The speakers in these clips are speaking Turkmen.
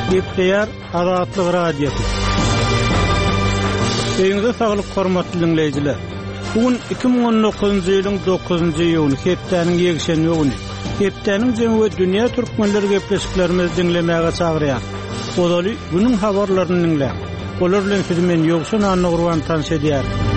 Gepleýär Azatlyk Radiosy. Öýüňize saglyk hormatly diňleýjiler. Bu gün 2019-njy ýylyň 9-njy iýuny, hepdäniň ýekşenbe güni. Hepdäniň jemi we dünýä türkmenleri gepleşiklerimizi diňlemäge çagyrýar. Ozaly günüň habarlaryny diňläň. Olar bilen sizi men Ýowşan Annagurban tanyş edýärin.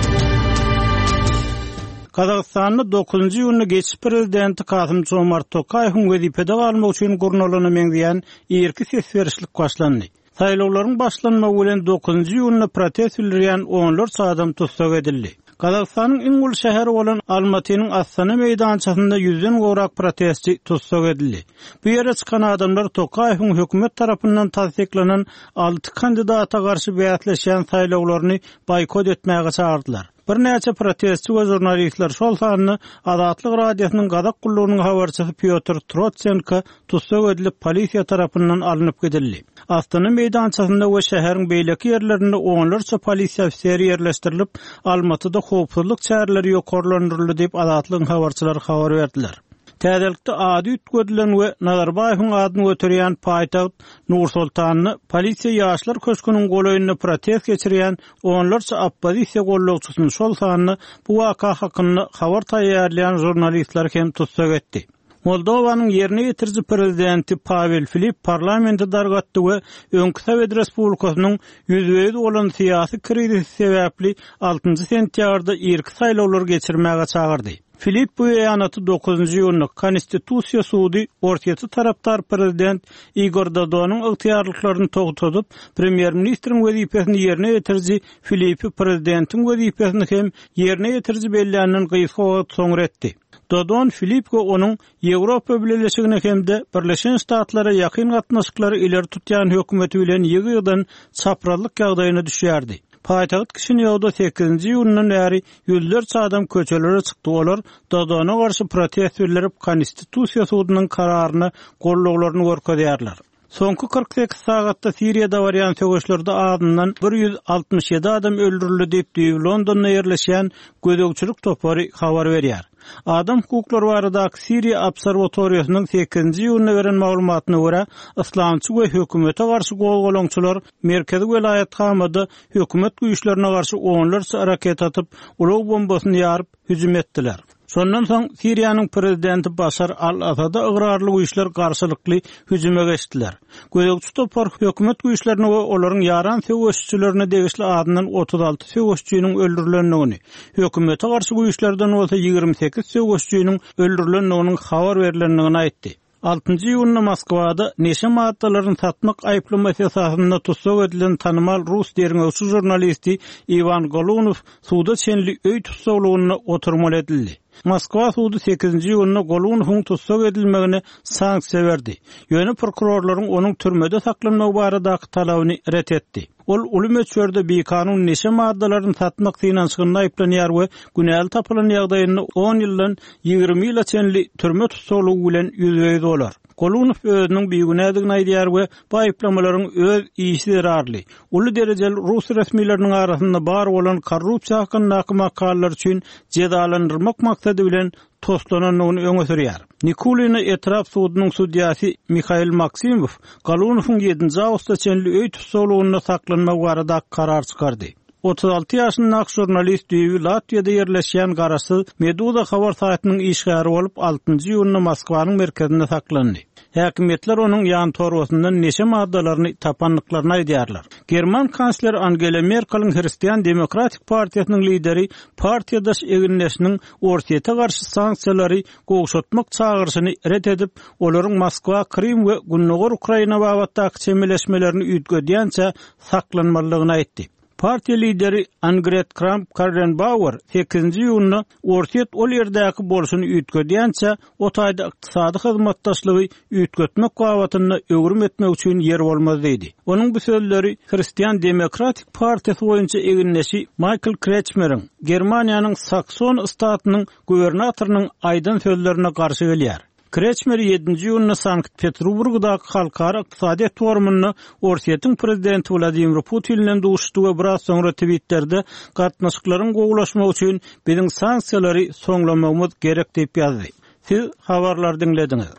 Gazagystanda dokuzynjy iýunda geçiş prezidenti Kasym-Jomart Tokaýewiň wezipede galmagy üçin gurnalana meňzeýän irki ses berişlik başlandy. Saýlawlaryň başlanmagy bilen dokuzynjy iýunda protest bildirýän onlarça adam tussag edildi. Gazagystanyň iň uly şäheri bolan Almatynyň Astana meýdançasynda ýüzden gowrak protestçi tussag edildi. Bu ýere çykan adamlar Tokaýewiň hökümet tarapyndan tassyklanan alty kandidata garşy bäsleşýän saýlawlaryny boýkot etmäge çagyrdylar. Birnäçe protestçi we žurnalistler, şol sanda Azatlyk Radiosynyň Gazak gullugynyň habarçysy Pýotr Trotsenko tussag edilip, polisiýa tarapyndan alnyp gidildi. Astana meýdançasynda we şäheriň beýleki ýerlerinde onlarça polisiýa ofiseri ýerleşdirilip, Almatyda howpsuzlyk çäreleri ýokarlandyryldy diýip, Azatlygyň habarçylary habar berdiler. Täzelikde ady üýtgedilen we Nazarbaýewiň adyny göterýän paýtagt Nur-Sultanda polisiýa Ýaşlar köşgüniň golaýynda protest geçirýän onlarça oppozisiýa gollagçysyny, şol sanda bu waka hakynda habar taýýarlaýan žurnalistleri hem tussag etdi. Moldowanyň ýerine ýetiriji prezidenti Pawel Filip parlamenti dargatdy we öňki sowet respublikasynyň ýüzbe-ýüz bolan syýasy krizisi sebäpli altynjy sentýabrda irki saýlawlary geçirmäge çagyrdy. Filip bu beýanaty dokuzynjy iýunda Konstitusiýa sudy Orsýete tarapdar prezident Igor Dodonyň ygtyýarlyklaryny togtadyp, premýer-ministriň wezipesini ýerine ýetiriji Filipi prezidentiň wezipesini hem ýerine ýetiriji belländen gysga wagt soňra etdi. Dodon Filip we onuň Ýewropa Bileleşigine hem-de Birleşen Ştatlara ýakyn gatnaşyklary ileri tutýan hökümeti bilen ýygy-ýygydan çaprazlyk ýagdaýyna düşýärdi. Paýtagt Kişinýowda sekizinji iýundan bäri ýüzlerçe adam köçelere çykdy, olar Dodona garşy protest bildirip, Konstitusiýa sudunyň kararyna gollaglaryny görkezýärler. Soňky 48 sagatda Siriýada barýan söweşlerde azyndan 167 adam öldürildi diýip, düýbi Londonda ýerleşýän gözegçilik topary habar berýär. Adam hukuklary baradaky Siriýa obserwatoriýasynyň sekizinji iýunda beren maglumatyna görä, yslamçy we hökümete garşy gozgalaňçylar merkezi welaýat Hamada hökümet güýçlerine garşy onlarça raketa atyp, ulag bombasyny ýaryp, hüjüm etdiler. Şondan soň Siriýanyň prezidenti Başar al-Asada ygrarly güýçler garşylykly hüjüme geçdiler. Gözegçi topar hökümet güýçlerine we olaryň ýaran söweşijilerine degişli azyndan 36 söweşijiniň öldürilendigini, hökümete garşy güýçlerden bolsa 28 söweşijiniň öldürilendiginiň habar berlendigini aýtdy. Altynjy iýunda Moskwada neşe maddalaryny satmak aýyplamasy esasynda tussag edilen tanymal rus derňewçi žurnalisti Iwan Golunow suda çenli öý tussaglygynda oturmaly edildi. Moskwa sudy sekizinji iýunda Golunowyň tussag edilmegine sanksiýa berdi, ýöne prokurorlaryň onuň türmede saklanmagy baradaky talabyny ret etdi. Ol uly möçberde bikanun neşe maddalaryny satmak synanyşygynda aýyplanýar we günäli tapylan ýagdaýynda on ýyldan 20 ýyla çenli türme tussaglygy bilen ýüzbe-ýüz bolar. Golunow özüniň bigünädigini aýdýar we bu aýyplamalaryň öz işi zerarly uly derejeli rus resmileriniň arasynda bar bolan korrupsiýa hakyndaky makalalar üçin jezalandyrmak maksady bilen toslanandygyny öňe sürýär. Nikulino etrap sudunyň sudýasy Mihail Maksimow Golunowyň ýedinji awgusta çenli öý tussaglygynda saklanmagy barada karar çykardy. 36 ýaşyndaky žurnalist düýbi Latwiýada ýerleşýän garaşsyz Meduza habar saýtynyň işgäri bolup, altynjy iýunda Moskwanyň merkezinde saklandy. Häkimiýetler onuň ýantorbasyndan neşe maddalaryny tapandyklaryny aýdýarlar. German kansleri Angela Merkeliň Hristian demokratik partiýasynyň lideri partiýadaş egindeşiniň Orsýete garşy sanksiýalary gowşatmak çagyryşyny ret edip, olaryň Moskwa Krym we gündogar Ukraina babatdaky çemeleşmelerini üýtgedýänçä saklanmalydygyny aýtdy. Partiýa lideri Angret Kramp-Karrenbauer sekizinji iýunda Orsýet ol ýerdäki bolşuny üýtgedýänçä, o taýda ykdysady hyzmatdaşlygy üýtgetmek babatynda öwrüm etmek üçin ýer bolmaz diýdi. Onuň bu sözleri Hristian demokratik partiýasy boýunça egindeşi Maýkl Kretçmeriň, Germaniýanyň Sakson ystatynyň gubernatorynyň aýdan sözlerine garşy gelýär. Kretçmer ýedinji iýunda Sankt-Peterburgdaky Halkara ykdysadyýet forumynda Orsýetiň prezidenti Wladimir Putin bilen duşuşdy we biraz soňra Twitterde gatnaşyklaryň gowulaşmagy üçin biziň sanksiýalary soňlamagymyz gerek diýip ýazdy. Siz habarlary diňlediňiz.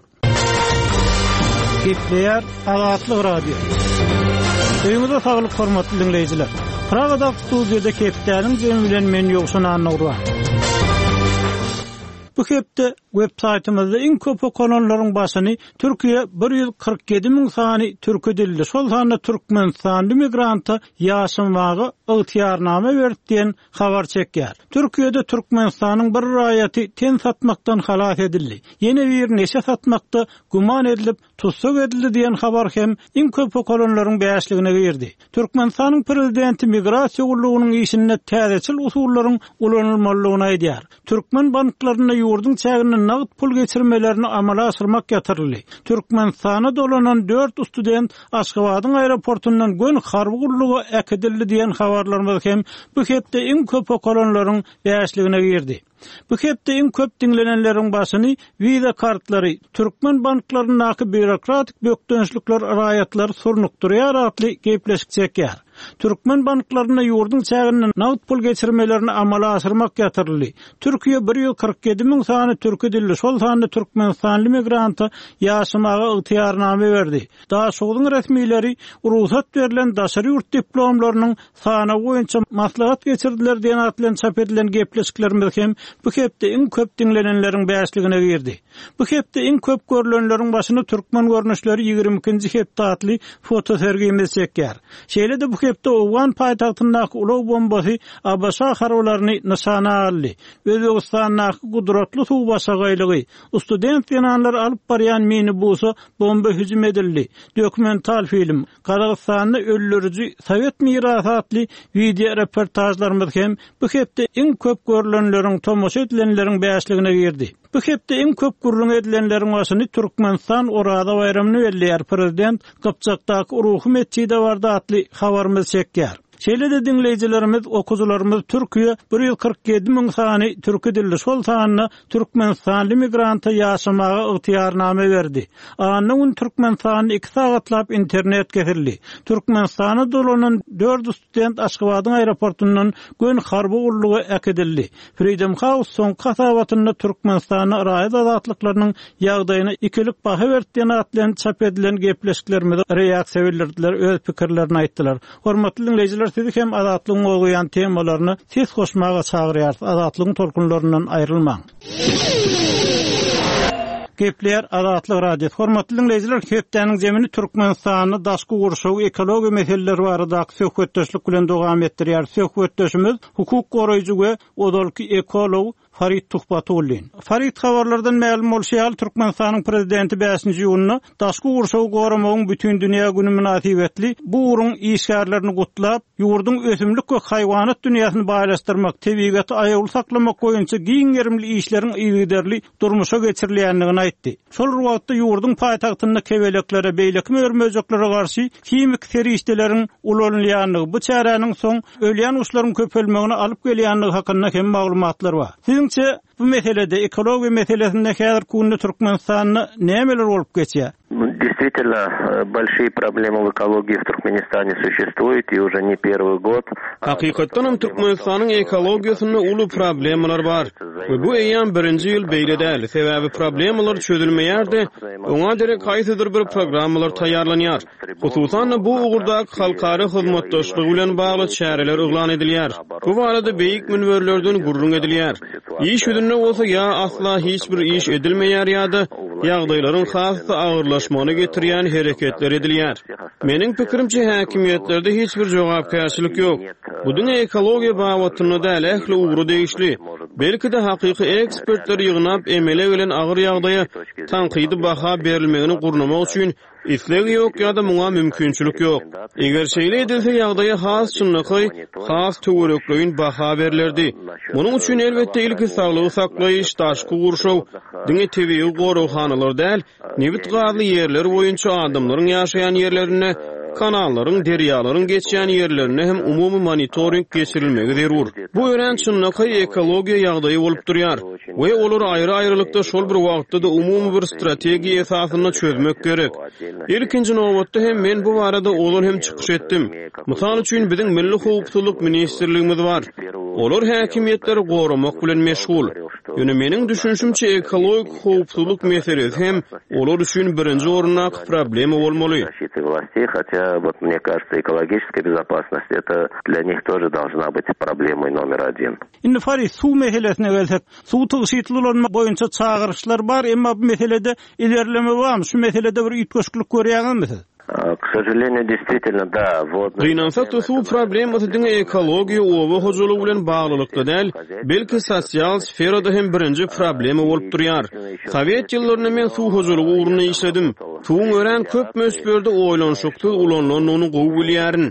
Gepleýär Azatlyk Radiosy. Öýüňize saglyk hormatly diňleýjiler. Pragadaky studiýada hepdäniň jemi bilen men Ýowşan Annagurban. Bu hepde web saýtymyzda iň köp okalanlaryň başyny Türkiýe 147 müň sany türki dilli, şol sanda türkmenistanly migranta ýaşamaga ygtyýarnama berdi diýen habar çekýär. Türkiýede Türkmenistanyň bir raýaty ten satmakdan halas edildi. Ýene biri neşe satmakda güman edilip, tussag edildi diýen habar hem iň köp okalanlaryň bäşligine girdi. Türkmenistanyň prezidenti migrasiýa gullugynyň işinde täzeçil usullaryň ulanylmalydygyny aýdýar. Türkmen banklarynda ýurduň çäginde nagt pul geçirmelerini amala aşyrmak ýatyryldy. Türkmenistana dolanan dört student Aşgabadyň aeroportundan göni harby gulluga äkidildi diýen habarlarymyz hem bu hepde iň köp okalanlaryň bäşligine girdi. Bu hepde iň köp diňlenenleriň başyny Visa kartlary, türkmen banklaryndaky býurokratik bökdençlikler raýatlary surnukdyrýar atly gepleşik çekýär. Türkmen banklarynda ýurduň çäginde nagt pul geçirmelerini amala aşyrmak ýatyryldy. Türkiýe 147 müň sany türki dilli, şol sanda türkmenistanly migranta ýaşamaga ygtyýarnama berdi. Daşogzuň resmileri rugsat berlen daşary ýurt diplomlarynyň sanawy boýunça maslahat geçirdiler diýen at bilen çap edilen gepleşiklerimiz hem bu hepde iň köp diňlenenleriň bäşligine girdi. Bu hepde iň köp görlenleriň başyny Türkmen görnüşleri 22-nji hepde atly fotosergimiz çekýär. Şeýle-de bu hepde owgan paýtagtyndaky ulag bombasy ABŞ harbylaryny nyşana aldy. Özbegistandaky gudratly suw başagaýlygy, student zenanlary alyp barýan minibusa bomba hüjüm edildi. Dokumental film, Gazagystanda öldüriji sowet mirasy atly wideoreportažlarymyz hem bu hepde iň köp görlenleriň, tomaşa edilenleriň bäşligine girdi. Bu hepde iň köp gürrüň edilenleriň başyny Türkmenistan Oraza baýramyny belleýär, prezident Gypjakdaky ruhy metjide bardy atly habarymyz çekýär. Şeýle-de diňleýjilerimiz, okyjylarymyz Türkiýe 147 müň sany türki dilli, şol sanda türkmenistanly migranta ýaşamaga ygtyýarnama berdi. Anna gün Türkmenistanda iki sagatlap internet kesildi. Türkmenistana dolanan dört student Aşgabadyň aeroportundan göni harby gulluga äkidildi. Freedom House soňky hasabatynda Türkmenistanda raýat azatlyklarynyň ýagdaýyna ikilik baha berdi diýen at bilen çap edilen gepleşiklerimize reaksiýa bildirdiler, öz pikirlerini aýtdylar. Hormatly diňleýjiler, sizi hem Azatlygyň gozgaýan temalaryna ses goşmaga çagyrýarys. Azatlygyň tolkunlaryndan aýrylmaň. Gepleýär Azatlyk Radiosy. Hormatly diňleýjiler, hepdäniň zemini Türkmenistanda daşky gurşaw, ekologiýa meseleleri baradaky söhbetdeşlik bilen dowam etdirýär. Söhbetdeşimiz hukuk goraýjy we ozalky ekolog Farid Tuhbatullin. Farid habarlardan mälim bolşy ýaly, Türkmenistanyň Prezidenti bäşinji iýunda Daşky gurşawy goramagyň bütindünýä güni mynasybetli bu ugruň işgärlerini gutlap, ýurduň ösümlik we haýwanat dünýäsini baýlaşdyrmak, tebigaty aýawly saklamak boýunça giň gerimli işleriň yzygiderli durmuşa geçirilýändigini aýtdy. Şol bir wagtda ýurduň paýtagtynda kebeleklere, beýleki mör-möjeklere garşy himiki serişdeleriň ulanylýandygy, bu çäräniň soň ölýän guşlaryň köpelmegine alyp gelýändigi hakynda hem maglumatlar bar. Siziňçe, bu meselede, ekologiýa meselesinde häzirki günde Türkmenistanda nämeler bolup geçýär? Действительно, большие проблемы в экологии в Туркменистане существуют и уже не первый год. Hakykatdanam Türkmenistanyň ekologiýasynda uly problemalar bar we bu eýýäm birinji ýyl beýle däl, sebäbi problemalar çözülmeýär-de, oňa derek haýsydyr bir programmalar taýýarlanýar. Hususan-da, bu ugurdaky halkara hyzmatdaşlygy bilen bagly çäreler yglan edilýär. Bu barada beýik münberlerden gürrüň edilýär. Iş ýüzünde bolsa ýa asla hiç bir iş edilmeýär ýa-da ýagdaýlaryň has-da agyrlaşmagyna getirýän hereketler edilýär. Meniň pikirimçe, häkimiýetlerde hiç bir jogapkärçilik ýok. Bu diňe ekologiýa babatynda däl, ähli ugra degişli. Belki-de, hakyky ekspertleri ýygnap, emele gelen agyr ýagdaýa tankydy baha berilmegini gurnamak üçin Isleg ýok ýa-da muňa mümkinçilik ýok. Eger şeýle edilse, ýagdaýa has çynlakaý, has töwerekleýin baha berlerdi. Munuň üçin, elbetde, ilki saglygy saklaýyş, daşky gurşaw, diňe tebigy goraghanalar däl, nebit-gazly ýerler boýunça adamlaryň ýaşaýan ýerlerinde, kanallaryň, derýalaryň geçýän ýerlerinde hem umumy monitoring geçirilmegi zerur. Bu örän çynlakaý ekologiýa ýagdaýy bolup durýar. We olary aýry-aýrylykda şol bir wagtda-da umumy bir strategiýa esasynda çözmek gerek. Ilkinji nobatda hem men bu barada ozal hem çykyş etdim. Mysal üçin, biziň Milli howpsuzlyk ministrligimiz bar. Olar häkimiýetleri goramak bilen meşgul. Ýöne meniň düşünişimçe ekologik howpsuzlyk meselesi hem olar üçin birinji orundaky problema bolmaly. Indi Farid, suw meselesine gelsek, suwy tygşytly ulanmak boýunça çagyryşlar bar, emma bu meselede ilerleme barmy? Şu meselede bir üýtgeşiklik görýäňizmi siz? Gynansak-da, suw problemasy diňe ekologiýa, oba hojalygy bilen baglylykda däl, belki sosial sferada hem birinji problema bolup durýar. Sowet ýyllarynda men suw hojalygy ugrunda işledim. Suwuň örän köp möçberde oýlanyşyksyz ulanylandygyny gowy bilýärin.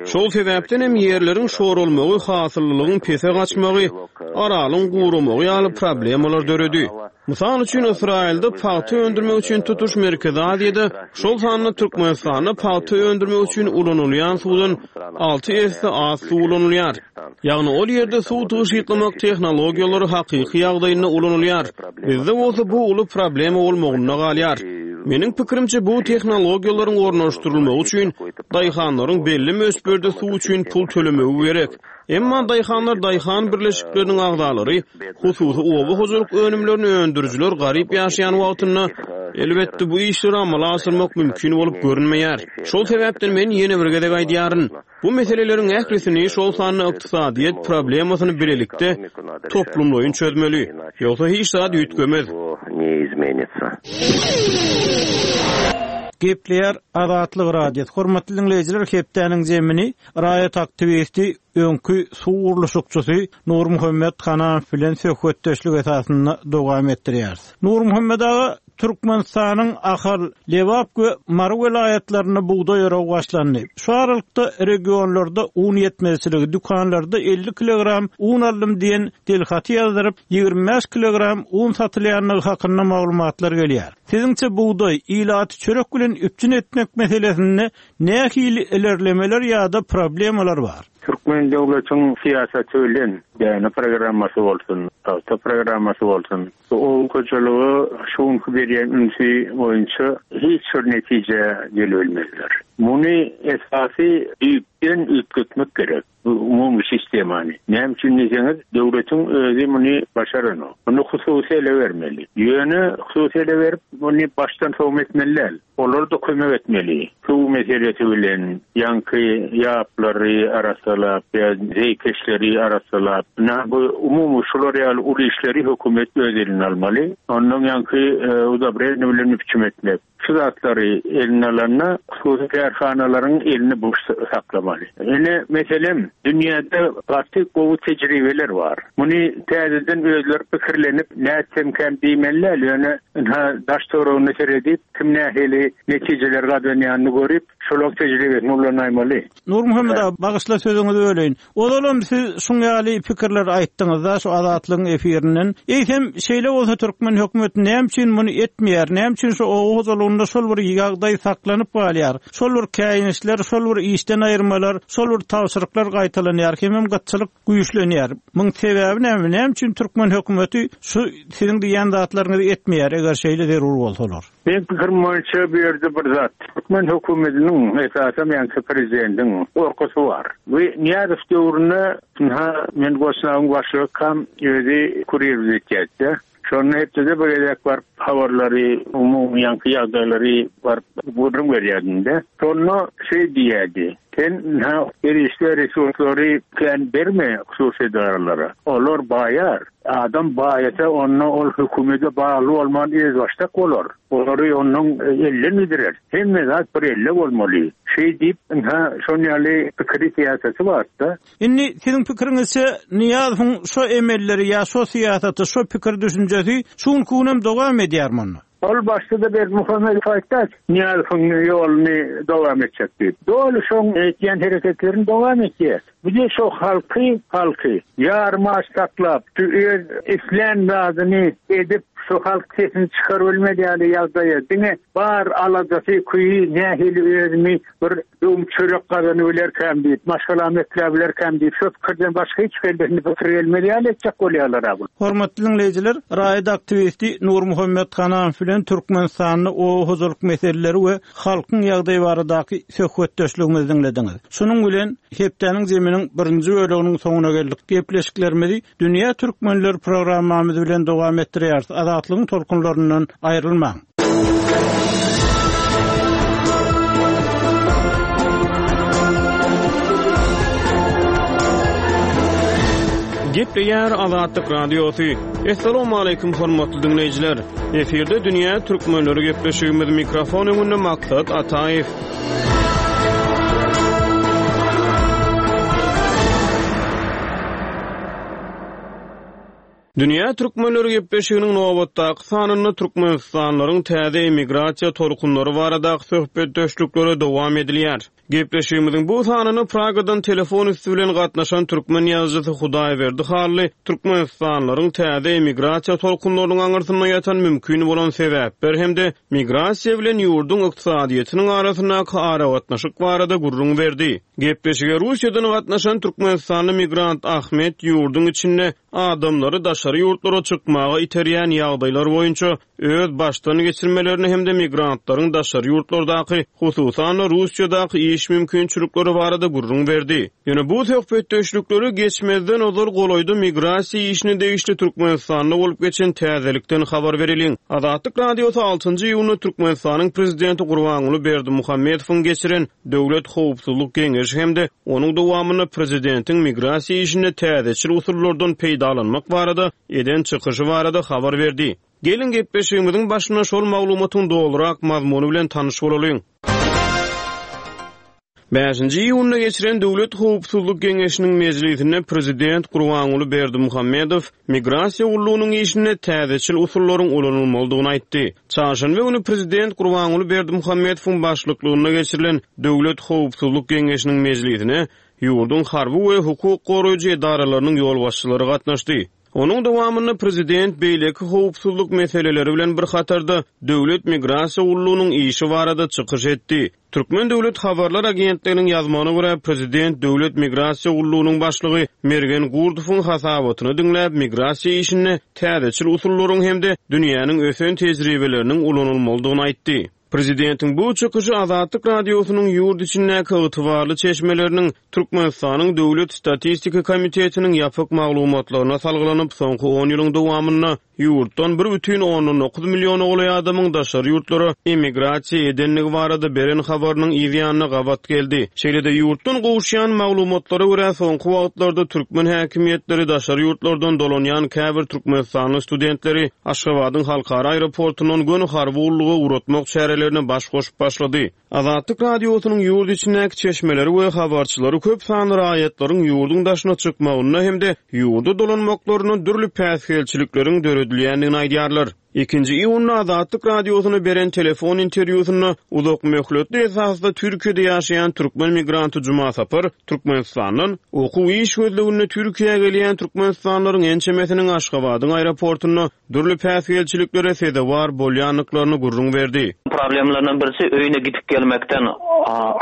Şol sebäpden hem ýerleriň şoralmagy, hasyllylygyň pese gaçmagy, Aralyň guramagy ýaly problemalar döredi. Mysal üçin, Ysraýylda pagta öndürmek üçin tutuş Merkezi Aziýada, şol sanda Türkmenistanda pagta öndürmek üçin ulanylýan suwdan alty esse az suw ulanylýar. Ýagny ol ýerde suw tygşytlamak tehnologiýalary hakyky ýagdaýynda ulanylýar. Bizde bolsa bu uly problema bolmagynda galýar. Meniň pikirimçe, bu tehnologiýalaryň ornaşdyrylmagy üçin daýhanlaryň belli möçberde suw üçin pul tölemegi gerek. Emma daýhanlar, daýhan birleşikleriniň agzalary, hususy oba hojalyk önümlerini öndürijiler garyp ýaşaýan wagtynda, elbetde, bu işleri amala aşyrmak mümkin bolup görünmeýär. Şol sebäpden men ýene bir gezek aýdýaryn, bu meseleleriň ählisini, şol sanda ykdysadyýet problemasyny bilelikde, toplumlaýyn çözmeli. Ýogsa hiç zat üýtgemez. Gepleýär Azatlyk Radiosy. Hormatly diňleýjiler, hepdäniň zemini Raýat aktiwisti, öňki suw gurluşykçysy Nurmuhammet Hananow bilen söhbetdeşlik esasynda dowam etdirýäris. Nurmuhammet aga, Türkmenistanyň Ahal, Lebap we Mary welaýatlarynda bugdaý oragy başlandy. Şu aralykda regionlarda un ýetmezçiligi, dükanlarda 50 kilogram un aldym diýen dilhaty ýazdyryp, 25 kilogram un satylýandygy hakynda maglumatlar gelýär. Siziňçe bugdaý, ilaty çörek bilen üpjün etmek meselesinde Nähili ilerlemeler ýa-da problemalar bar? Türkmen döwletiň syýasaty bilen däne programmasy bolsun, pagta programmasy bolsun, bu oba hojalyga şu günki berýän ünsi boýunça hiç bir netijä gelibilmezler. Muny esasy düýpden üýtgetmek gerek. Bu umumy sistemany. Näme üçin diýseňiz, döwletiň özi muny başaranok. Muny hususy ele bermeli. Ýöne hususy ele berip, muny başdan sowma etmeli däl. Olar-da kömek etmeli. Suw meselesi bilen, ýaňky ýaplary arassalap ýa zeýkeşleri arassalap, ynha bu umumy şular ýaly uly işleri hökümet öz eline almaly. Ondan ýaňky udobreniýe bilen üpjüm etmek. Şu zatlary eline alanda hususy kärhanalaryň elini boş saklamaly. Ine, meselem, dünýäde gaty gowy tejribeler bar. Muny täzeden özleri pikirlenip nätsemkäm diýmeli däl, ýöne ynha daş-töweregine seredip, kim nähili netijeler gazanýanyny görüp, şolaň tejribesini ulanaýmaly. Nurmuhammet aga, bagyşla sözüňizi böleýin. Ozalam siz şuň ýaly pikirleri aýtdyňyzda şu Azatlygyň efirinden. Eýsem, şeýle bolsa türkmen hökümeti näme üçin muny etmeýär? Näme üçin şu oba hojalygynda şol bir ýagdaý saklanyp galýar? Şol bir käýinçler, şol bir işden aýyrmalar, şol bir tabşyryklar gaýtalanýar, hemem gytçylyk güýçlenýär. Muň sebäbi näme? Näme üçin türkmen hökümeti şu siziň diýýän zatlaryňyzy etmeýär, eger şeýle zerur bolsalar? Meň pikirim boýunça bu ýerde bir zat, türkmen hökümetiniň, esasam ýaňky prezidentiň gorkusy bar. Bu Nyýazow döwründe, ynha, men Gosnawyň başlygykam, özi kurirlik etýärdi-de. Şonda hepdede bir gezek baryp habarlary, umumy ýaňky ýagdaýlary baryp gürrüň berýärdim-de. Şonda şeý diýýärdi, Sen, ynha, serişde, resurslary kän berme hususy edaralara. Olar baýar. Adam baýasa onda ol hökümede bagly bolman özbaşdak bolar. Olary onnoň elden gidirer. Hemme zat bir elde bolmaly. Şeý diýip ynha şon ýaly pikiri syýasaty barda. Indi siziň pikiriňizçe Nyýazowyň şo emelleri ýa şo syýasaty şo pikir düşünjesi şu günki günem dowam edýärmi onda? Ol başda-da Berdimuhamedow aýtdy, Nyýazowyň ýoluny dowam etjek diýip. Doly şoň etýän hereketlerini dowam etýär. Bu-da şo halky, halky ýarym aç saklap, şu öz islän zadyny edip, Şu halk sesini çykarybilmez ýaly ýagdaýa diňe bar aladasy, küýi nähili özümi bir döwüm çörek gazanybilerkäm diýip, maşgalamy ekläbilerkäm diýip, şo pikirden başga hiç kellesinde pikir gelmez ýaly etjek bolýarlar-a bu. Hormatly diňleýjiler, raýat aktiwisti Nurmuhammet Hanamow bilen Türkmenistanda oba hojalyk meseleleri we halkyň ýagdaýy baradaky söhbetdeşligimizi diňlediňiz. Şunuň bilen, hepdäniň zeminiň birinji böleginiň soňuna geldik. Gepleşiklerimizi Dünýä Türkmenleri programmamyz bilen dowam etdirýäris. Azatlygyň tolkunlaryndan aýrylmaň. Gepleýär Azatlyk Radiosy. Assalamualaikum hormatly diňleýjiler. Efirde dünýä türkmenleri gepleşigimiz mikrofon öňünde Maksat Ataýew. Dünýä türkmenleri gepleşiginiň nobatdaky sanynda türkmenistanlylaryň täze emigrasiýa tolkunlary baradaky söhbetdeşliklere dowam edilýär. Gepleşigimiziň bu sanyna Pragadan telefon üsti bilen gatnaşan türkmen ýazyjysy Hudaýberdi Hally türkmenistanlylaryň täze emigrasiýa tolkunlarynyň aňyrsynda ýatan mümkin bolan sebäpler hem-de migrasiýa bilen ýurduň ykdysadyýetiniň arasyndaky aragatnaşyk barada gürrüň berdi. Gepleşige Russiýadan gatnaşan türkmenistanly migrant Ahmet ýurduň içinde adamlary daşary ýurtlara çykmaga iterýän ýagdaýlar boýunça öz başdan geçirmelerini hem-de migrantlaryň daşary ýurtlardaky, hususan-da Russiýadaky iş mümkinçilikleri barada gürrüň berdi. Ýöne bu söhbetdeşlikleri geçmezden ozal golaýda migrasiýa işine degişli Türkmenistanda bolup geçen täzelikden habar bereliň. Azatlyk Radiosy altynjy iýunda Türkmenistanyň Prezidenti Gurbanguly Berdimuhamedowyň geçiren Döwlet howpsuzlyk geňeşi hem-de onuň dowamynda prezidentiň migrasiýa işinde täzeçil usullardan peýdalanmak barada eden çykyşy barada habar berdi. Geliň, gepleşigimiziň başynda şol maglumatyň dolurak mazmuny bilen tanyş bolalyň. Bäşinji iýunda geçiren Döwlet howpsuzlyk geňeşiniň mejlisinde prezident Gurbanguly Berdimuhamedow Migrasiýa gullugynyň işinde täzeçil usullaryň ulanylmalydygyny aýtdy. Çarşenbe güni prezident Gurbanguly Berdimuhamedowyň başlyklygynda geçirilen Döwlet howpsuzlyk geňeşiniň mejlisine ýurduň harby we hukuk goraýjy edaralarynyň ýolbaşçylary gatnaşdy. Onuň dowamynda prezident beýleki howpsuzlyk meseleleri bilen bir hatarda Döwlet migrasiýa gullugynyň işi barada çykyş etdi. Türkmen döwlet habarlar agentliginiň ýazmagyna görä, prezident Döwlet migrasiýa gullugynyň başlygy Mergen Gurdowyň hasabatyny diňläp, migrasiýa işinde täzeçil usullaryň hem-de dünýäniň ösen tejribeleriniň ulanylmalydygyny aýtdy. Prezidentiň bu çykyşy Azatlyk Radiosynyň ýurt içindäki ygtybarly çeşmeleriniň Türkmenistanyň Döwlet statistika komitetiniň ýapyk maglumatlaryna salgylanyp, soňky on ýylyň dowamynda ýurtdan 1,9 milliona golaý adamyň daşary ýurtlara emigrasiýa edendigi barada beren habarynyň yz ýanyna gabat geldi. Şeýle-de, ýurtdan gowuşýan maglumatlara görä, soňky wagtlarda türkmen häkimiýetleri daşary ýurtlardan dolanýan käbir türkmenistanly studentleri Aşgabadyň halkara aeroportundan göni harby gulluga ugratmak çärelerine baş goşup başlady. Azatlyk Radiosynyň ýurt içindäki çeşmeleri we habarçylary köp sanly raýatlaryň ýurduň daşyna çykmagynda hem-de ýurda dolanmaklarynda dürli päsgelçilikleriň döredilýändigini aýdýarlar. Ikinji iýunda Azatlyk Radiosyna beren telefon interwýusynda uzak möhletli esasda Türkiýede ýaşaýan türkmen migranty Juma Sapar Türkmenistandan okuw-iş gözleginde Türkiýä gelýän türkmenistanlylaryň ençemesiniň Aşgabadyň aeroportunda dürli päsgelçiliklere sezewar bolýandyklaryny gürrüň berdi. Problemlaryndan birisi öýüne gidip gelmekden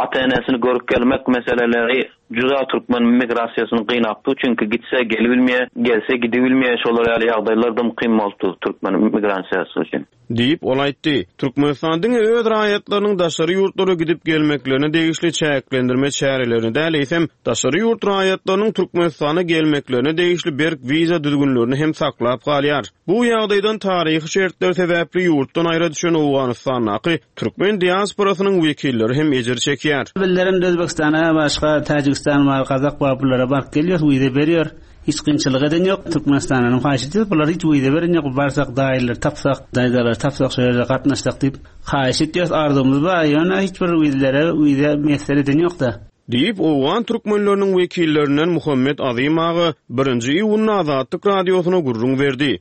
ata-enesini görüp gelmek meseleleri juda türkmen migrasiýasyny gynapdy. Çünki gitse gelibilmeýär, gelse gidibilmeýär. Şolar ýaly ýagdaýlar dym kyn bolupdy türkmen migrasiýasy üçin. Diýip, ol aýtdy. Türkmenistan diňe öz raýatlarynyň daşary ýurtlara gidip gelmeklerine degişli çäklendirme çärelerini däl, eýsem, daşary ýurt raýatlarynyň Türkmenistana gelmeklerine degişli berk wiza düzgünlerini hem saklap galýar. Bu ýagdaýdan taryhy şertler sebäpli ýurtdan aýra düşen Owganystandaky türkmen diasporasynyň wekilleri hem ejir çekýär. Bizlerem Özbegistana başga Täjigistan bar, Gazak bar bulara baryp gelýäs wiza berýär. Hiç kynçylyk eden ýok. Türkmenistandanam haýyş edýäs. Bular hiç wiza beren ýok. Barsak daýylary tapsak, daýzalary tapsak şo ýerde gatnaşsak diýip haýyş edýäs. Arzuwymyz bar. Ýöne hiç bir wizlere wiza miýesser eden ýok-da. Diýip, owgan türkmenleriniň wekillerinden Muhammet Azym aga birinji iýunda Azatlyk Radiosyna gürrüň berdi.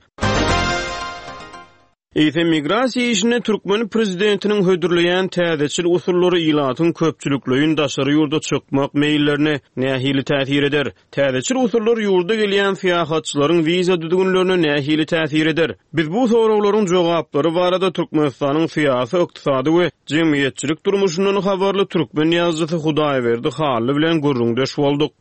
Eýsem, migrasiýa işinde türkmen prezidentiniň hödürleýän täzeçil usullary ilatyň köpçülikleýin daşary ýurda çykmak meýillerine nähili täsir eder? Täzeçil usullar ýurda gelýän syýahatçylaryň wiza düzgünlerine nähili täsir eder? Biz bu soraglaryň jogaplary barada Türkmenistanyň syýasy, ykdysady we jemgyýetçilik durmuşyndan habarly türkmen ýazyjysy Hudaýberdi Hally bilen gürrüňdeş bolduk.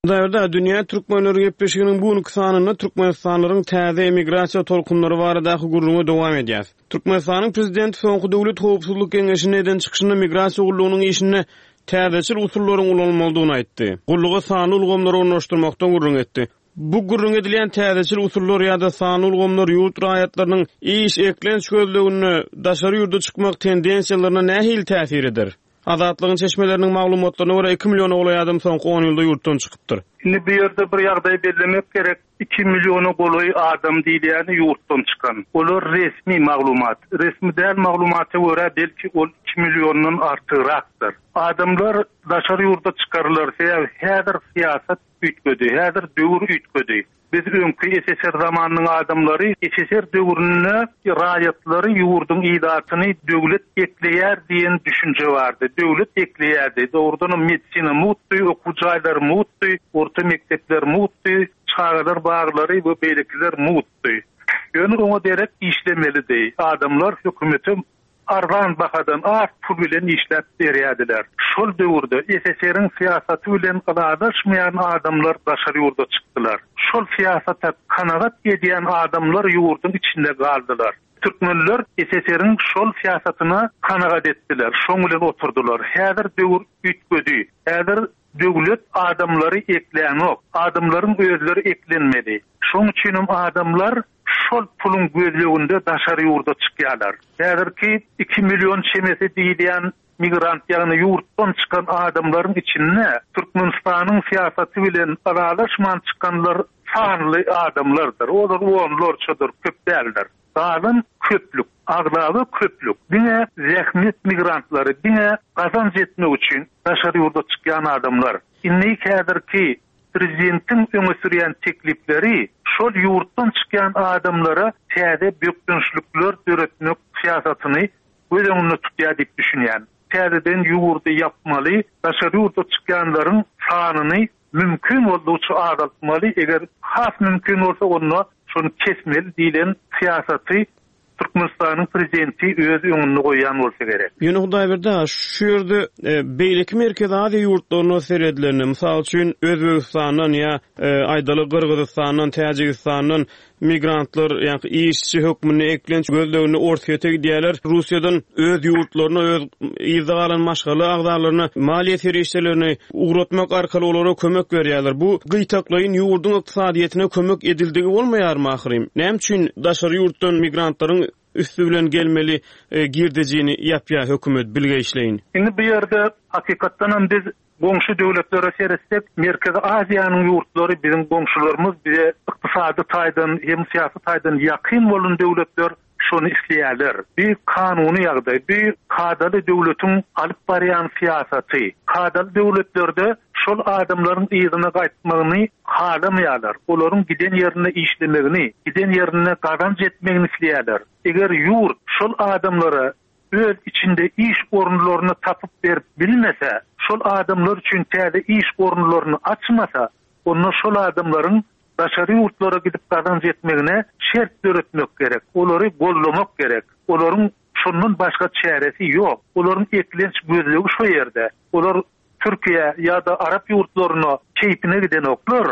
Hudaýberdi, Dünýä türkmenleri gepleşiginiň bu günki sanynda türkmenistanlylaryň täze emigrasiýa tolkunlary baradaky gürrüňe dowam edýäs. Türkmenistanyň prezidenti soňky Döwlet howpsuzlyk geňeşinde eden çykyşynda migrasiýa gullugynyň işinde täzeçil usullaryň ulanylmalydygyny aýtdy. Gulluga sanly ulgamlary ornaşdyrmakdan gürrüň etdi. Bu gürrüňi edilýän täzeçil usullar ýa-da sanly ulgamlar ýurt raýatlarynyň iş, eklenç gözleginde daşary ýurda çykmak tendensiýalaryna nähili täsir eder? Azatlygyň çeşmeleriniň maglumatlaryna görä, iki milliona golaý adam soňky on ýylda ýurtdan çykypdyr. Indi bu ýerde bir ýagdaýy bellemek gerek, iki milliona golaý adam diýilýäni ýurtdan çykan. Olar resmi maglumat. Resmi däl maglumata görä, belki ol iki milliondan artygrakdyr. Adamlar daşary ýurda çykarylar, sebäbi häzir syýasat üýtgedi. Häzir döwür üýtgedi. Biz öňki SSR zamanynyň adamlary SSR döwründe raýatlary, ýurduň ilatyny döwlet ekleýär diýen düşünje bardy. Döwlet ekleýärdi. Dogrudanam medisina mugtdy, okuw jaýlary mugtdy, orta mekdepler mugtdy, çagalar baglary we beýlekiler mugtdy. Ýöne oňa derek işlemelidi. Adamlar hökümete arzan bahadan az pul bilen işläp berýärdiler. Şol döwürde SSR-iň syýasaty bilen ylalaşmaýan adamlar daşary ýurda çykdylar. Şol syýasata kanagat edýän adamlar ýurduň içinde galdylar. Türkmenler SSR-iň şol syýasatyna kanagat etdiler, şoň bilen oturdylar. Häzir döwür üýtgedi. Häzir döwlet adamlary eklänok. Adamlaryň özleri eklenmeli. Şoň üçinem adamlar şol puluň gözleginde daşary ýurda çykýarlar. Häzirki iki million çemesi diýilýän migrant, ýagny ýurtdan çykan adamlaryň içinde Türkmenistanyň syýasaty bilen ylalaşman çykanlar sanly adamlardyr. Olar onlarçadyr, köp däldir. Galan köplük, aglaba köplük diňe zähmet migrantlary, diňe gazanç etmek üçin daşary ýurda çykýan adamlar. Indi häzirki Prezidentiň öňe sürýän teklipleri şol ýurtdan çykýan adamlara täze bökdençlikler döretmek syýasatyny göz öňünde tutýar diýip düşünýän. Täzeden ýurdy ýapmaly, daşary ýurda çykýanlaryň sanyny mümkin boldugyça azaltmaly, eger has mümkin bolsa onda şony kesmeli diýlen syýasaty Türkmenistanyň prezidenti öz öňünde goýýan bolsa gerek. Ýöne Hudaýberdi aga, şu ýerde beýleki Merkezi Aziýa ýurtlaryna seredilende, mysal üçin, Özbegistandan ýa, aýdaly, Gyrgyzystandan, Täjigistandan migrantlar, ýa-da işçi hökmünde eklenç gözleginde Orsýete gidýärler. Russiýadan öz ýurtlaryna, öz yzda galan maşgala agzalaryna maliýe serişdelerini ugratmak arkaly olara kömek berýärler. Bu gytaklaýyn ýurduň ykdysadyýetine kömek edildigi bolmaýarmy ahyryn? Näme üçin daşary ýurtdan migrantlaryň üsti bilen gelmeli girdejini ýapýar hökümet bilgeýşleýin? Indi bu ýerde hakykatdanam biz goňşy döwletlere seretsek, Merkezi Aziýanyň ýurtlary biziň goňşularymyz, bize ykdysady taýdan hem syýasy taýdan ýakyn bolan döwletler şony isleýärler. Bu kanuny ýagdaý, bu kadaly döwletiň alyp barýan syýasaty. Kadaly döwletlerde şol adamlaryň yzyna gaýtmagyny halamaýarlar. Olaryň giden ýerinde işlemegini, giden ýerinde gazanç etmegini isleýärler. Eger ýurt şol adamlara öz içinde iş orunlaryny tapyp berip bilmese, şol adamlar üçin täze iş orunlaryny açmasa, onda şol adamlaryň daşary ýurtlara gidip gazanç etmegine şert döretmek gerek, olary goldamak gerek. Olaryň şondan başga çäresi ýok. Olaryň eklenç gözlegi şo ýerde. Olar Türkiýä ýa-da arap ýurtlaryna keýpine gidenoklar.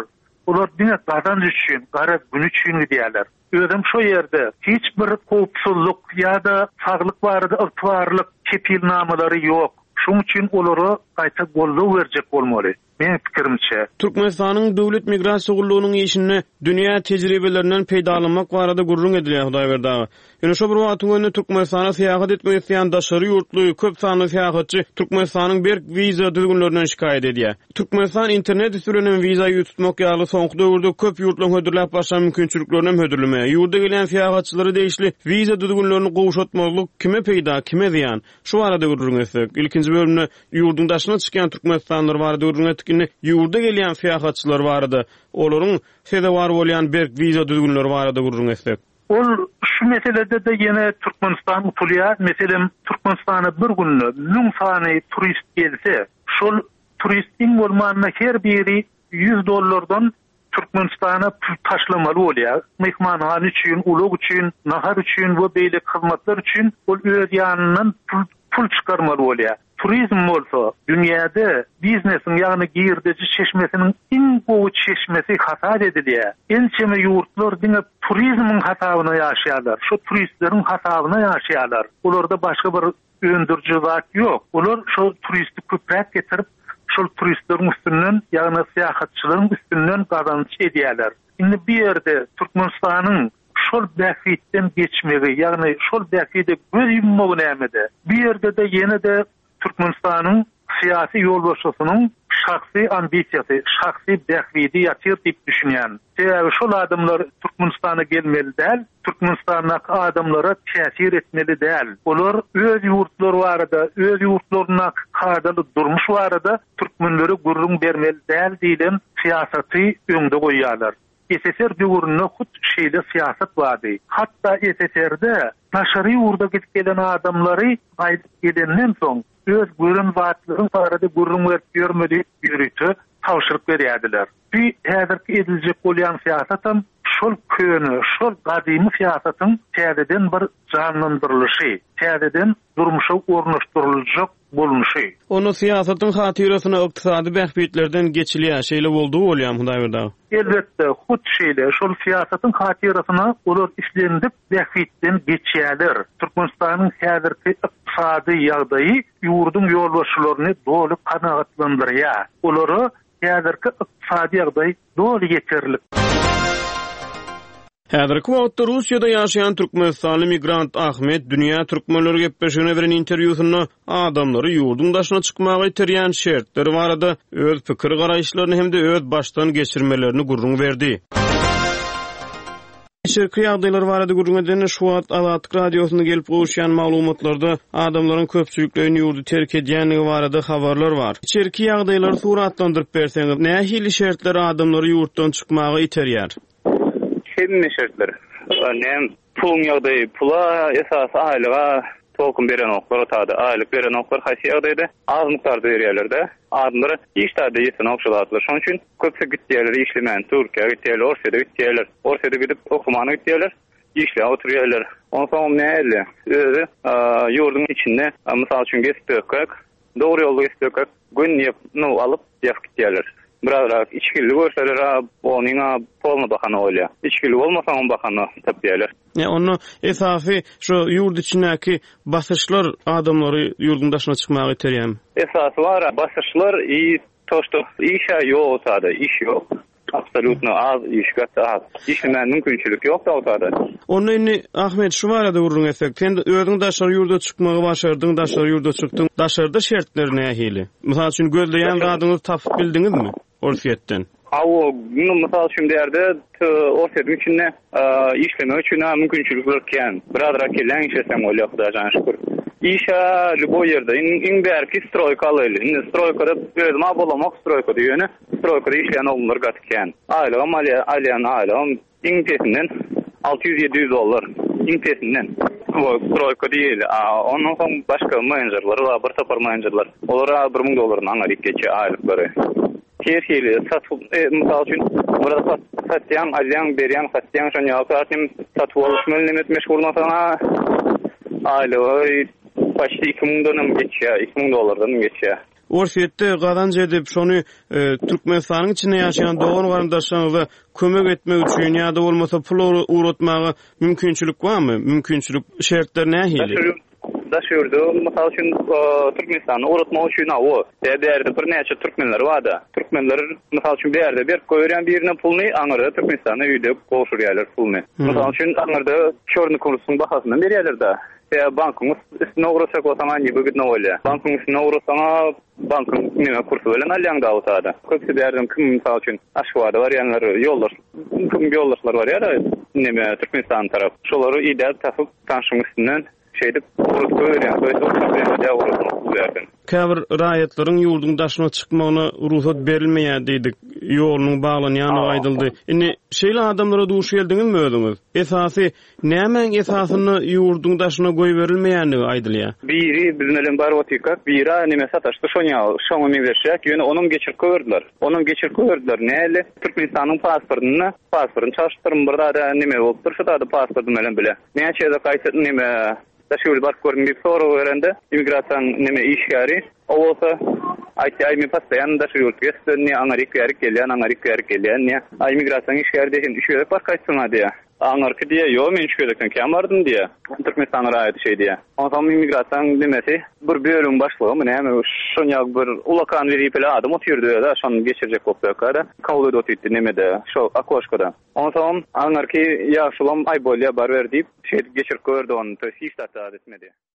Olar diňe gazanç üçin, gara gün üçin gidýärler. Özem şo ýerde hiç bir howpsuzlyk ýa-da saglyk barada ygtybarlyk kepilnamalary ýok. Şoň üçin olara gaýta goldaw berjek bolmaly. Meň pikirimçe. Türkmenistanyň Döwlet migrasiýa gullugynyň işinde dünýä tejribelerinden peýdalanmak barada gürrüň edilýär, Hudaýberdi aga. Ýöne şo bir wagtyň özünde Türkmenistana syýahat etmek isleýän daşary ýurtly köp sanly syýahatçy Türkmenistanyň berk wiza düzgünlerinden şikaýat edýär. Türkmenistan internet üsti bilen hem wiza ýüz tutmak ýaly soňky döwürde köp ýurtlaryň hödürläp başlan mümkinçiliklerini hem hödürlemeýär. Ýurda gelýän syýahatçylara degişli wiza düzgünlerini gowşatmazlyk kime peýda, kime zyýan? Şu barada gürrüň etsek. Ilkinji bölümde ýurduň daşyna çykýan türkmenistanlylar barada gürrüň etdik. Indi ýurda gelýän syýahatçylar barada, olaryň sezewar bolýan berk wiza düzgünleri barada gürrüň etsek. Ol şu meselede-de ýene Türkmenistan utulýar. Meselem, Türkmenistana bir günde 1000 sany turist gelse, şol turist iň bolmanda her biri 100 dollardan Türkmenistana pul taşlamaly bolýar. Myhmanhana üçin, ulag üçin, nahar üçin we beýleki hyzmatlar üçin ol öz ýanyndan pul pul çykarmaly bolýar. Turizm bolsa dünýäde biznesiň, ýagny girdeji çeşmesiniň iň gowy çeşmesi hasap edilýär. Ençeme ýurtlar diňe turizmiň hasabyna ýaşaýarlar, şo turistleriň hasabyna ýaşaýarlar. Olarda başga bir öndüriji zat ýok. Olar şo turisti köpräk getirip, şol turistleriň üstünden, ýagny syýahatçylaryň üstünden gazanç edýärler. Indi bu ýerde Türkmenistanyň şol bähbitden geçmegi, ýagny şol bähbide göz ýummagy nämede? Bu ýerde-de ýene-de Türkmenistanyň syýasy ýolbaşçysynyň şahsy ambisiýasy, şahsy bähbidi ýatyr diýip düşünýän. Sebäbi şol adamlar Türkmenistana gelmeli däl, Türkmenistandaky adamlara täsir etmeli däl. Olar öz ýurtlary barada, öz ýurtlaryndaky kadaly durmuş barada türkmenlere gürrüň bermeli däl diýlen syýasaty öňde goýýarlar. SSR döwründe hut şeýle syýasat bardy. Hatda SSR-de daşary ýurda gidip gelen adamlary gaýdyp gelenden soň öz gören zatlaryň barada gürrüň berip ýörme diýip ýörite tabşyryk berýärdiler. Bu häzirki ediljek bolýan syýasatam şol köne, şol gadymy syýasatyň täzeden bir janlandyrylyşy, täzeden durmuşa ornaşdyryljak bolnuşy. Onda syýasatyň hatyrasyna ykdysady bähbitlerden geçilýär, şeýle boldugy bolýamy Hudaýberdi aga? Elbetde, hut şeýle. Şol syýasatyň hatyrasyna olar islendik bähbitden geçýärler. Türkmenistanyň häzirki ykdysady ýagdaýy ýurduň ýolbaşçylaryny doly kanagatlandyrýar. Olara häzirki ykdysady ýagdaý doly ýeterlik. Häzirki wagtda Russiýada ýaşaýan türkmenistanly migrant Ahmet Dünýä türkmenleri gepleşigine beren interwýusynda adamlary ýurduň daşyna çykmaga iterýän şertler barada öz pikir-garaýyşlaryny hem-de öz başdan geçirmelerini gürrüň berdi. Içerki ýagdaýlar barada gürrüň edende, şu wagt Azatlyk Radiosynda gelip gowuşýan maglumatlarda adamlaryň köpçülikleýin ýurdy terk edýändigi barada habarlar bar. Içerki ýagdaýlary suratlandyryp berseňiz, nähili şertler adamlary ýurtdan çykmaga iterýär? Hemme şertler. Näme, puluň ýagdaýy, pula esasy aýlyga tolkun berenoklar otada. Aýlyk berenoklar haýsy ýagdaýda? Az mukdarda berýärler-de. Adamlara hiç zada ýetenok şu zatlar. Şonuň üçin köpüsi gitýärler işlemän. Türkiýä gitýärler, Orsýede gitýärler. Orsýede gidip okumana gitýärler, işläp oturýarlar. Onsoňam nähili? Özi ýurduň içinde mysal üçin gezip ýörkäk, dogry ýolda gezip ýörkäk göni ýap, nu alyp ýapyp gitýärler. Birazrak içgili görseler-a onyň-a polny bahana bolýar. Içgili bolmasaňam bahana tapýarlar. Ýa onda esasy şo ýurt içindäki basyşlar adamlary ýurduň daşyna çykmaga iterýärmi? Esasy bar-a basyşlar i to şto iş-ä ýok otada, iş ýok. Absolýutno az iş, gaty az. Işlemäne mümkinçilik ýok-da otada. Onda indi Ahmet şu barada gürrüň etsek, sen özüň daşary ýurda çykmagy başardyň, daşary ýurda çykdyň. Daşarda şertler nähili? Mysal üçin gözleýän zadyňyzy tapyp bildiňizmi? Orsýetden. Hawa, indi mysal üçin bu ýerde Orsýetiň içinde işlemek üçin-ä mümkinçilikler kän. Birazrak kelläň işleseň bolýar, Hudaýa jana şükür. Iş-ä lýuboý ýerde. Iň bärki stroýka alaýly. Indi stroýkada özüm-ä bolamok stroýkada, ýöne stroýkada işleýän oglanlar gaty kän. Aýlygam alýan, alýan aýlygam Iň pesinden 600-700 dollar. Iň pesinden. Bu stroýka diýeli. A ondan soň başga menejerler bar, bir topar menejerler. Olar 1000 dollardan aňryk geçýär aýlyklary. Her hili satuw, e, mysal üçin, bir zat satýaň, alýaň, berýäň, satýaň, şonuň ýaly zat hem satuw alyş bilen nemet meşgullansaň-a aýlygy почти 2000 hem geçýär, 2000 dollardan hem geçýär. Orsýetde gazanç edip, şony Türkmenistanyň içinde ýaşaýan dogan-garyndaşlaryňyza kömek etmek üçin ýa-da bolmasa pul ugratmaga mümkinçilik barmy? Mümkinçilik, şertler nähili? Daş ýurda, mysal üçin, Türkmenistana ugratmak üçin hawa, bärde birnäçe türkmenler bar-da. Türkmenler, mysal üçin, bärde berip goýberýän birine puluny, aňyrda Türkmenistanda öýde gowşurýarlar puluny. Mysal üçin, aňyrda çörny kursuň bahasyndan berýärler-de. Sebäbi bankyň üstüne ugratjak bolsaň-a newygodno bolýar. Bankyň üstüne ugratsaň-a bankyň neme kursy bilen alýaň Dawutada. Köpüsi bärden kim mysal üçin Aşgabada barýanlar ýoldaş kim ýoldaşlar barýar-a neme Türkmenistan tarap. Şolary idäp tapyp tanşyň üstünden. Şeýdip ugrat goýberýän. To ýest ol problema däl ugratmak bu ýerden. Käbir raýatlaryň ýurduň daşyna çykmagyna rugsat berilmeýär diýdik. Ýolunyň baglanýandygy aýdyldy. Indi şeýle adamlara duş geldiňizmi özüňiz? Esasy Nämäň esasynda ýurduň daşyna goýberilmeýändigi aýdylýar? Biri biz bilen baryp otyrkak, biri-ä neme sataşdy şoň ýaly, şoňa meňzeşräk, ýöne onam geçirip goýberdiler. Onam geçirip goýberdiler. Näli? Türkmenistanyň pasportynda, pasportyny çalşypdyrmy bir zada neme bolupdyr şu zada pasportym bilen bile. Näçe gezek gaýta neme daşary ýurda baryp gördüm diýip sorag berende, immigrasiýanyň neme işgäri, o bolsa aýtýar, aý men postoýanno daşary ýurt gezip diýýär, aňaryk bärik gelýän, aňaryk bärik gelýän diýýär. A immigrasiýanyň işgäri diýýär, sen üç gezek baryp gaýtdyň-a diýýär. Aňyrky diýýä, ýo, men üç gezekden kän bardym diýýä. Türkmenistanyň raýaty şeý diýýä. Onsoň immigrasiýaň nemesi, bir bölümiň başlygymy näme, şon ýaly bir ulakan wezipeli adam otyrdy öz-ä, şony geçirjek bolup ýörkä-de, kabul edip otyrdy nemede, şo okoşkada. Onsoňam aňyrky ýaşulam, aý bolýa, baryber diýip, şeýdip geçirip goýberdi ony, to ýest hiç zat-da etmedi.